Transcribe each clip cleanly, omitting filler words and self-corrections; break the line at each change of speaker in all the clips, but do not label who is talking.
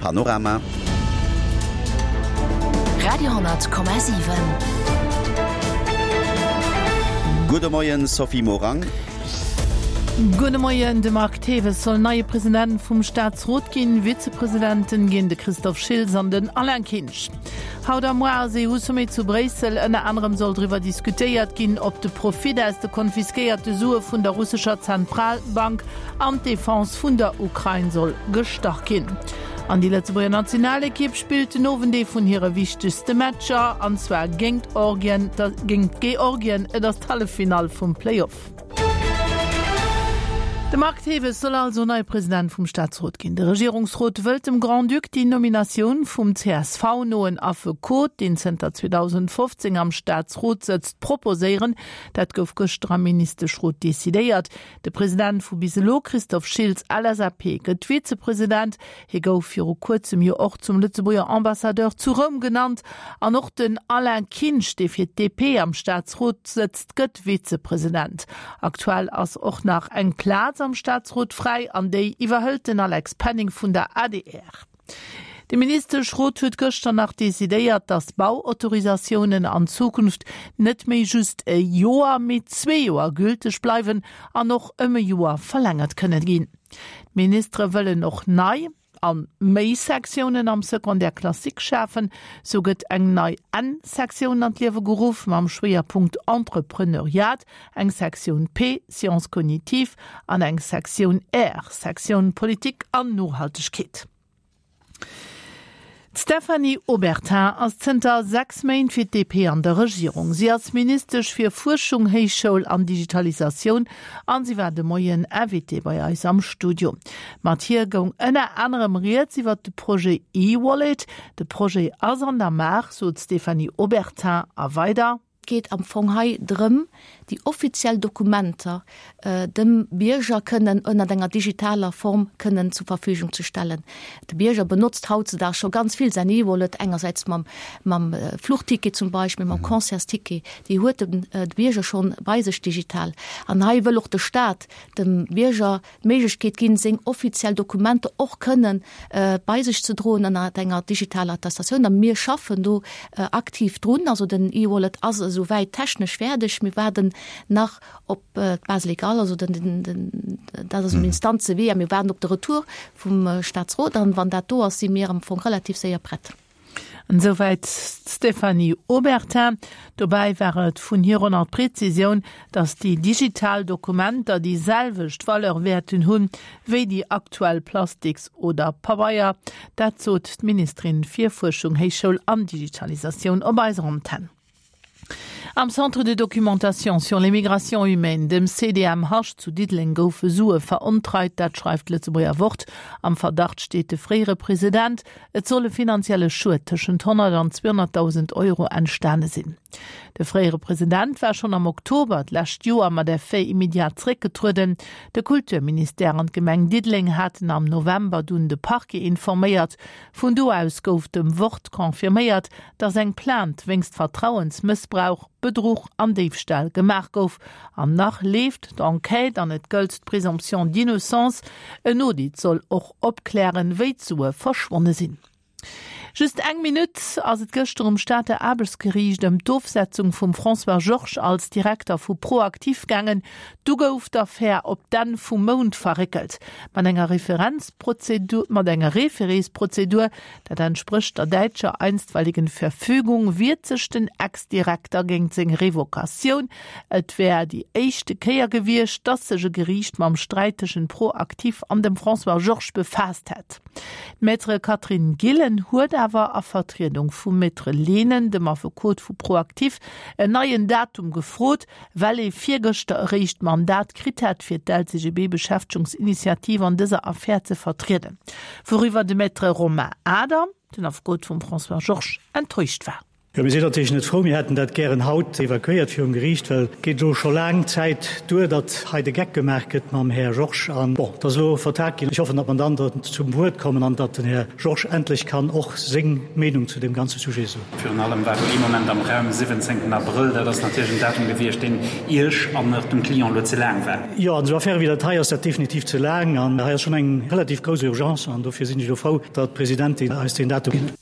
Panorama.
Radio,7.
Gudde Moien Sophie Morang.
Gudde Moien, De Marc Thewes soll neie President vum Staatsrot ginn. Vizepresidenten ginn de Christophe Schiltz an den Alain Kinsch. Haut a muar ass EU-Sommet zu Bréissel. Ënner anerem soll driwwer diskutéiert ginn, ob de Profit aus de konfiskéierte Sue vun der russescher Zentralbank an d'Defense vun der Ukrain soll gestach ginn. An déi Lëtzebuerger Nationalekipp spillt den Owend ee vun hire wichtegste Matcher, an zwar géingt Georgien. Et ass d'Halleffinall vum Playoff. De Marc Thewes soll also neie President vum Staatsrot ginn. De Regierungsrot wëllt dem Grand-Duc déi Nominatioun vum CSV-noen Affekot, deen zënter 2015 am Staatsrot sëtzt, proposéieren. Dat gouf gëschter am Ministeschrot decidéiert. De President vu bis elo, Christophe Schiltz, LSAP, gëtt Vizepresident. Hie gouf viru kuerzem jo och zum Lëtzebuerger Ambassadeur zu Roum genannt. An och den Alain Kinsch, dee fir d'DP am Staatsrot sëtzt, gëtt Vizepresident. Aktuell ass och nach eng Plaz am Staatsrot fräi an déi iwwerhëlt den Alex Penning vun der adr. De Ministeschrot huet gëschter nach decidéiert, datt Bauautorisatiounen an Zukunft net méi just e Joer, mee zwee Joer gülteg bleiwen an och ëm e Joer verlängert kënne ginn. D'Ministere wëllen och nei an méi Sektiounen am Secondaire classique schafen. Sou gëtt eng nei N-Sektioun an d'Liewe geruff mam Schwéierpunkt Entrepreneuriat, eng Sektioun P, Sciences cognitives, an eng Sektioun R, Sektioun Politik an Nohaltegkeet. D'Stéphanie Obertin ass zënter 6 Méint fir d'DP an der Regierung. Si ass Ministesch fir Fuerschung, Héichschoul an Digitalisatioun an si war de Moien Invitée bei eis am Studio. Mat hir goung ënner anerem rieds iwwer de Projet e-Wallet. De Projet ass an der Maach, sot d'Stéphanie Obertin a weider.
Et geet am Fong hei drëm, déi offiziell Dokumenter dem Bierger kënnen ënnert enger digitaler Form kënnen zur Verfügung ze stellen. De Bierger benotzt hautzedags scho ganz vill säin E-Wallet, engersäits mam, mam Fluchticket zum Beispill, mam Concertsticket, déi huet de Bierger schonn bei sech digital. An hei wëll och de Stat dem Bierger d'Méiglechkeet ginn, seng offiziell Dokumenter och kënnen bei sech ze droen ënner enger digitaler Attestatioun. A mir schaffen do aktiv drun. Also den e-Wallet ass esou wäit technesch fäerdeg. Mir waarden nach op d'Base légale, also den, den, dat ass um Instanzewee a mir waarden op de Retour vum Staatsrot. An wann dat do ass, si mir am Fong relativ séier prett.
Esouwäit d'Stéphanie Obertin. Dobäi war et vun hir och nach d'Prezisioun, datt déi digital Dokumenter déi selwecht Valeur wäerten hunn, wéi déi aktuell Plastiks oder Pabeier. Dat sot d'Ministerin fir Fuerschung, Héichschoul an Digitalisatioun op eiser Antenn. Am Centre de documentation sur les migrations humaines, dem CDMH zu Diddeleng goufe Sue verontreit, dat schreift d'Lëtzebuerger Wort. Am Verdacht steet de fréiere President. Et soll e finanzielle Schued tëschent 100 an 200.000 Euro entstane sinn. De fréiere President war schonn am Oktober d'lescht Joer mat Effet immédiat zeréckgetrueden. De Kulturministère an d'Gemeng Diddeleng haten am November dunn de Parquet informéiert. Vun do aus gouf dem Wort confirméiert, dass eng Plainte wéinst Vertrauensmëssbrauch, Bedruch an Déifstal gemaach gouf. An nach leeft d'Enquête an et gëllt d'Présomption d'innocence. En Audit soll och opklären, wéi d'Sue verschwonne sinn. Just eng Minutt ass et gëschter um Stater Aarbechtsgeriicht ëm d'Ofsetzung vum François Georges als Direkter vu ProActif gaangen. Du gouf d'Affär op d'Enn vum Mount verréckelt. Mat enger Referenzprozedur, mat enger Référésprozedur Dat entsprécht der däitscher einstweiligen Verfügung, wiert sech den Ex-Direkter géingt seng Revocatioun. Et wär déi éischte Kéier gewiescht, datt sech e Geriicht mam Sträit tëschent ProActif an dem François Georges befaasst hätt. D'Maître Catherine Gillen huet awer a Vertriedung vum Maître Lehnen, dem Affekot vu ProActif, en neien Datum gefrot, well ee virgëschter eréischt d'Mandat kritt hätt, fir d'LCGB-Beschäftegungsinitiativ an dëser Affär ze vertrieden, wouriwwer de Maître Romain Adam, den Affekot vum François Georges, enttäuscht war.
Jo, mir sinn natierlech net frou. Mir hätten dat gären haut evakuéiert virum Geriicht, well et geet elo scho laang Zäit duer, datt hei de Geck gemaach gëtt mam Här Georges. An, bon, et ass elo vertagt ginn. Ech hoffen, datt mer dann zum Wuert kommen an datt den Här Georges endlech kann och seng Meenung zu deem ganze Sujet soen.
Virun allem war do ee Moment am Raum, 17 Abrëll, dat ass natierlech en Datum gewiescht, deen Iech an och dem Client elo ze laang war.
Jo, an esou Affäre wéi dat hei ass dat definitiv ze laang. An hei ass schonn eng relativ grouss Urgence an dofir sinn ech elo frou, datt d'Presidentin eis deen Datum ginn huet.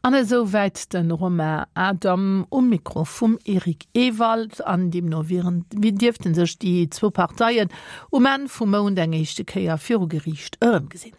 An esou wäit de Romain Adam um Mikro vum Eric Ewald. An deemno wieren, dierfte sech déi zwou Parteien um Enn vum Mount eng éischte Kéier viru Geriicht erëmgesinn.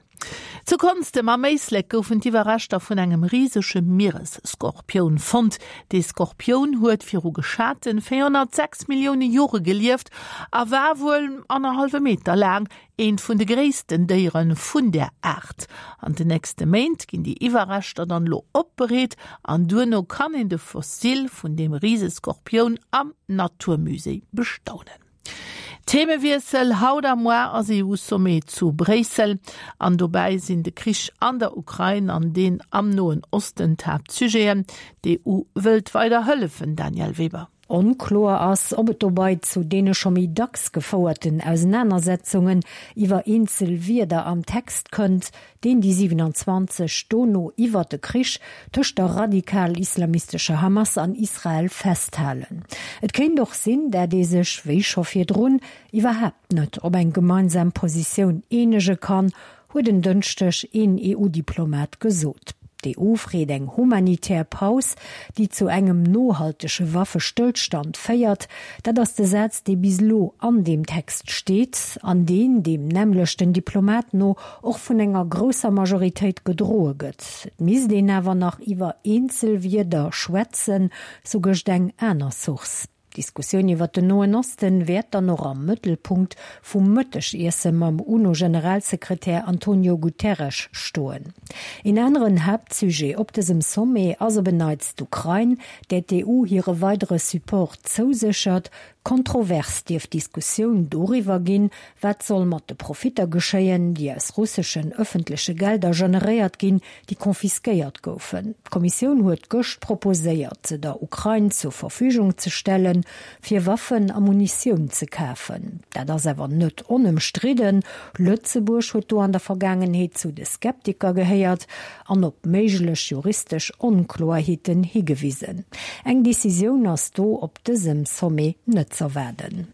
Zu Konstem am Éislek goufen d'Iwwerreschter vun engem risege Mieresskorpioun fonnt. Dee Skorpioun huet viru geschate 406 Millioune Jore gelieft a war wuel annerhallwe Meter laang, eent vun de gréissten Déiere vun där Aart. An den nächste Méint ginn déi Iwwerreschter dann elo opbereet an duerno kann een de Fossil vun deem Riseskorpioun am Naturmusée bestaunen. Themewiessel, Haut a moar ass EU-Sommet zu Bréissel an dobäi sinn de Krich an der Ukrain an deen am Noen Osten d'Haaptsujeten. D'EU wëllt weider hëllefen, Danièle Weber.
Onkloer ass, ob et dobei zu deene scho méi dacks gefouerten Ausenanersetzungen iwwer eenzel Wierder am Text kënnt, deen déi 27 dono iwwert de Krich tëscht der radikal-islamistescher Hamas an Israel festhalen. Et kéint och sinn, dat ee sech, wéi scho virdrun, iwwerhaapt net op eng gemeinsam Positioun eenege kann, huet en Dënschdeg een EU-Diplomat gesot. D'EU freet eng humanitär Paus, déi zu engem nohaltege Waffestëllstand féiert. Dat ass de Saz, dee bis elo an deem Text steet an deen, deem nämmlechten Diplomat no, och vun enger grousser Majoritéit gedroe gëtt. Et misst een awer nach iwwer eenzel Wierder schwätzen, sou gëscht eng aner Source. D'Diskussioun iwwer den Noen Osten wäert dann och am Mëttelpunkt vum Mëttegiesse mam UNO-Generalsekretär Antonio Guterres stoen. Een aneren Haaptsujet op dësem Sommet ass op en Neits d'Ukrain, där d'EU hire weidere Support zouséchert. Kontrovers dierft d'Diskussioun doriwwer ginn, wat soll mat de Profitter geschéien, déi aus russeschen ëffentleche Gelder generéiert ginn, déi confisquéiert goufen. D'Kommissioun huet gëscht proposéiert, se der Ukrain zur Verfügung ze stellen, fir Waffen a Munitioun ze kafen. Dat ass awer net onëmstridden. Lëtzebuerg huet do an der Vergaangenheet zu de Skeptiker gehéiert an op méiglech juristesch Onkloerheeten higewisen. Eng Decisioun ass do op dësem Sommet net z'erwaarden.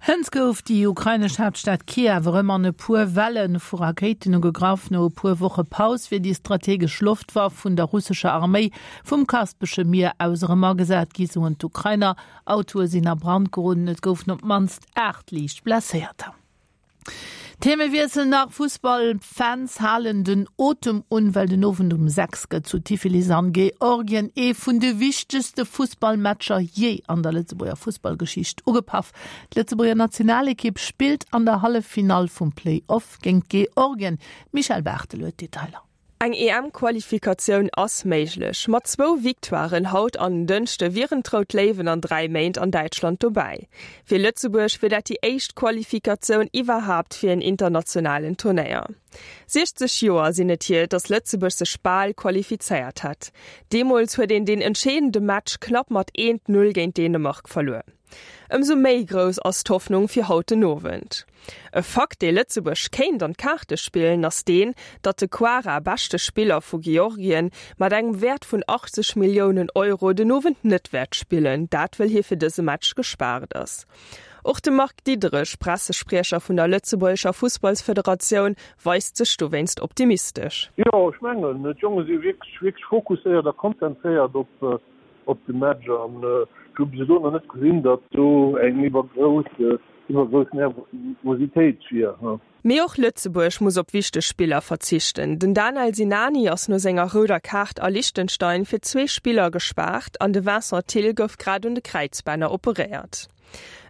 Hënt gouf déi ukrainesch Haaptstad Kiew erëm an e puer Welle vu Rakéiten ugegraff. No e puer Woche Paus wier déi strategesch Loftwaff vun der russescher Arméi vum Kaspesche Mier aus erëm agesat gi, soen d'Ukrainer. Autoe sinn a Brand geroden, et goufen op d'mannst 8 liicht Blesséierter. Themewiessel nach, Fussballfans halen den Otem un, well den Owend um 6 gëtt zu Tiflis an Georgien ee vun de wichtegste Fussballmatcher jee an der Lëtzebuerger Fussballgeschicht ugepaff. D'Lëtzebuerger Nationalekipp spillt an der Halleffinall vum Play-Off géint Georgien. D'Michèle Barthel huet d'Detailer.
Eng EM-Qualifikatioun ass méiglech. Mat zwou Victoiren haut an en Dënschde wieren d'Rout Léiwen an 3 Méint an Däitschland dobäi. Fir Lëtzebuerg wier dat déi éischt Qualifikatioun iwwerhaapt fir en internationalen Turnéier. 60 Joer sinn et hier, datt Lëtzebuerg sech bal qualifizéiert hat. Deemools huet een deen entscheedende Match knapp mat 1, 0 géint Dänemark verluer. Ëmsou méi grouss ass d'Hoffnung fir haut den Owend. E Fakt, dee Lëtzebuerg kéint an d'Kaarte spillen, ass deen, datt de Kvara, beschte Spiller vu Georgien, mat engem Wäert vun 80 Milliounen Euro, den Owend net wäert spillen, dat wëll hie fir dëse Match gespaart ass. Och de Marc Diederich, Pressespriecher vun der lëtzebuergescher Fussballsfederatioun, weist sech dowéinst optimistesch.
Jo, ech mengen, d'Jonge si wierklech, wierklech fokusséiert a konzentréiert op op de Match an ech hu bis elo nach net gesinn, datt do eng iwwergrouss iwwergrouss Nervositéit wier.
Mee och Lëtzebuerg muss op wichteg Spiller verzichten. Den Danel Sinani ass no senger rouder Kaart a Liechtenstein fir zwee Spiller gespaart an de Vincent Thill gouf grad un de Kräizbänner operéiert.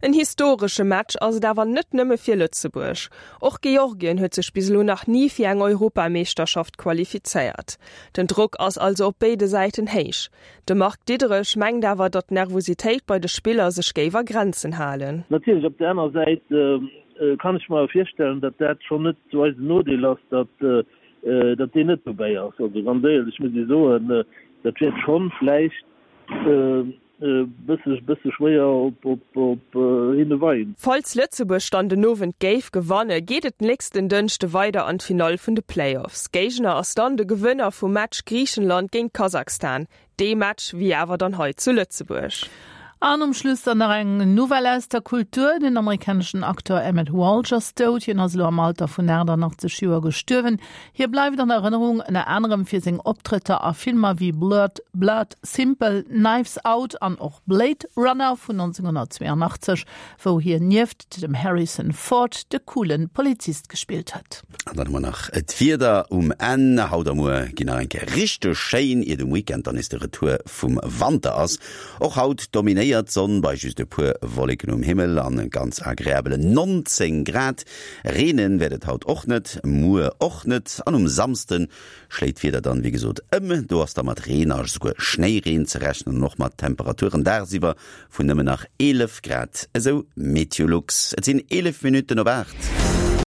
En historesche Match ass et awer net nëmme fir Lëtzebuerg. Och Georgien huet sech bis elo nach ni fir eng Europameeschterschaft qualifizéiert. Den Drock ass also op béide Säiten héich. De Marc Diederich mengt awer, datt d'Nervositéit bei de Spiller sech géif a Grenzen halen.
Natierlech, op der aner Säit kann ech mer awer virstellen, datt dat schonn net zu eisem Nodeel ass, datt datt deen net dobäi ass. Also ganz éierlech muss ee soen, Dat wäert schonn vläicht e bësse bësse schwéier op op op hinne weien.
Falls Lëtzebuerg dann den Owend géif gewanne geet et nächsten Dënschde weider an d'Finall vun de Playoffs. Géigner ass dann de Gewënner vum Match Griichenland géint Kasachstan. Dee Match wier awer dann hei zu Lëtzebuerg.
An um Schluss dann nach eng Nouvelle aus der Kultur, Den amerikaneschen Acteur Emmet Walsh ass dout. Hien ass elo am Alter vun 88 Joer gestuerwen. Hie bleift an Erënnerung ënner anerem fir seng Optrëtter a Filmer wéi Blood, Blood Simple, Knives Out an och Blade Runner vun 1982, wou hien nieft dem Harrison Ford de coole Polizist gespillt huet.
An dann hu mer nach d'Wieder um Enn. Haut a muer ginn nach eng Kéier richteg schéin, iert um Weekend dann nees de Retour vum Wanter ass. Och haut dominéiert d'Sonn bei just e puer Wolleken um Himmel an ganz agreabelen 19 Grad. Reenen wäert et haut och net, muer och net an um Samsden schléit d'Wieder dann wéi gesot ëm. Do ass da mat Reen a esouguer Schnéireen ze rechnen an och mat Temperaturen dagsiwwer vun nëmmen nach 11 Grad, esou Meteolux. Et sinn 11 Minutten op 8.